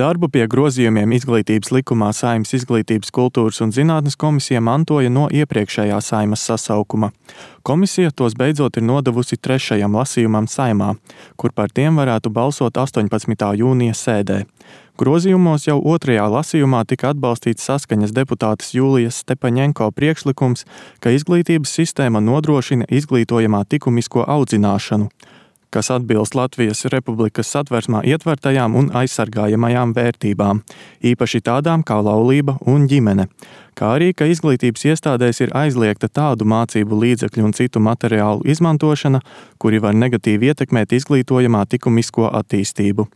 Darbu pie grozījumiem Izglītības likumā Saeimas Izglītības, kultūras un zinātnes komisija mantoja no iepriekšējā Saeimas sasaukuma. Komisija tos beidzot ir nodevusi 3. lasījumam Saeimā, kur par tiem varētu balsot 18. jūnija sēdē. Grozījumos jau 2. lasījumā tika atbalstīts Saskaņas deputātes Jūlijas Stepaņenko priekšlikums, ka izglītības sistēma nodrošina izglītojamā likumisko audzināšanu, kas atbilst Latvijas Republikas Satversmā ietvertajām un aizsargājamajām vērtībām, īpaši tādām kā laulība un ģimene, kā arī, ka izglītības iestādēs ir aizliegta tādu mācību līdzekļu un citu materiālu izmantošana, kuri var negatīvi ietekmēt izglītojamā likumisko attīstību.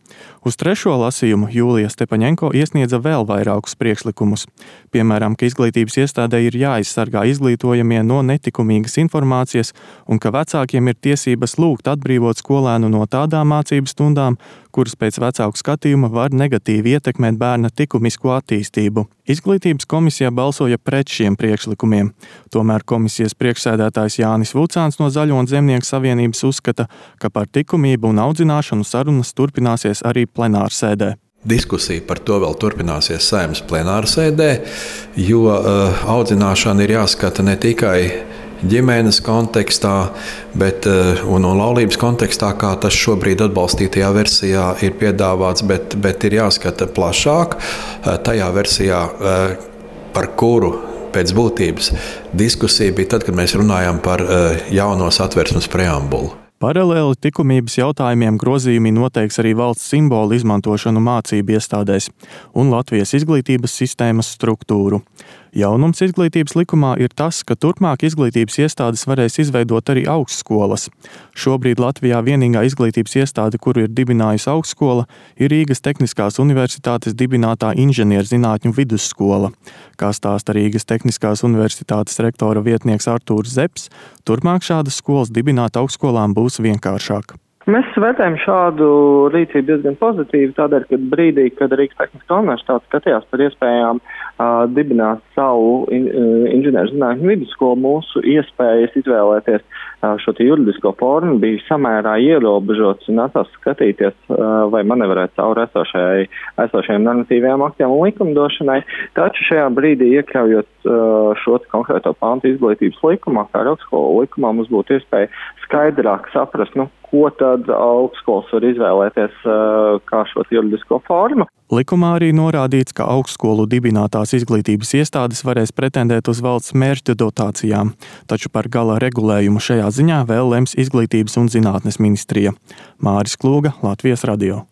Uz 3. lasījumu Jūlija Stepaņenko iesniedza vēl vairākus priekšlikumus, piemēram, ka izglītības iestādē ir jāaizsargā izglītojamie no netikumīgas informācijas un ka vecākiem ir tiesības lūgt atbrīvot skolēnu no tādām mācību stundām, kuras pēc vecāku skatījuma var negatīvi ietekmēt bērna likumisko attīstību. Izglītības komisija balsoja pret šiem priekšlikumiem. Tomēr komisijas priekšsēdētājs Jānis Vucāns no Zaļo un Zemnieku savienības uzskata, ka par likumību un audzināšanu sarunas turpināsies arī plenārsēdē. Diskusija par to vēl turpināsies Saeimas plenārsēdē, jo audzināšana ir jāskata ne tikai ģimenes kontekstā, un laulības kontekstā, kā tas šobrīd atbalstītajā versijā ir piedāvāts, bet ir jāskata plašāk tajā versijā, par kuru pēc būtības diskusija bija tad, kad mēs runājām par jauno Satversmes preambulu. Paralēli likumības jautājumiem grozījumi noteiks arī valsts simbolu izmantošanu mācību iestādēs un Latvijas izglītības sistēmas struktūru. Jaunums izglītības likumā ir tas, ka turpmāk izglītības iestādes varēs izveidot arī augstskolas. Šobrīd Latvijā vienīgā izglītības iestāde, kuru ir dibinājusi augstskola, ir Rīgas Tehniskās universitātes dibinātā inženierzinātņu vidusskola. Kā stāsta Rīgas Tehniskās universitātes rektora vietnieks Artūrs Zepps, turpmāk šādas skolas dibināt augstskolām būs vienkāršāk. Mēs vērtējam šādu rīcību diezgan pozitīvi, tādēļ, ka brīdī, kad Rīgas Tehniskā universitāte skatījās par iespējām dibināt savu inženierzinātņu vidusskolu, mūsu iespējas izvēlēties šo juridisko formu bija samērā ierobežots un nācās skatīties, vai manevrēt cauri esošajiem normatīvajiem aktiem un likumdošanai. Taču šajā brīdī, iekļaujot šo konkrēto pantu izglītības likumā, kā augstskolu likumā, mums būtu iespēja skaidrāk saprast, ko tad augstskolas var izvēlēties kā šo juridisko formu. Likumā arī norādīts, ka augstskolu dibinātās izglītības iestādes varēs pretendēt uz valsts mērķu dotācijām, taču par gala regulējumu šajā ziņā vēl lems Izglītības un zinātnes ministrija. Māris Klūga, Latvijas radio.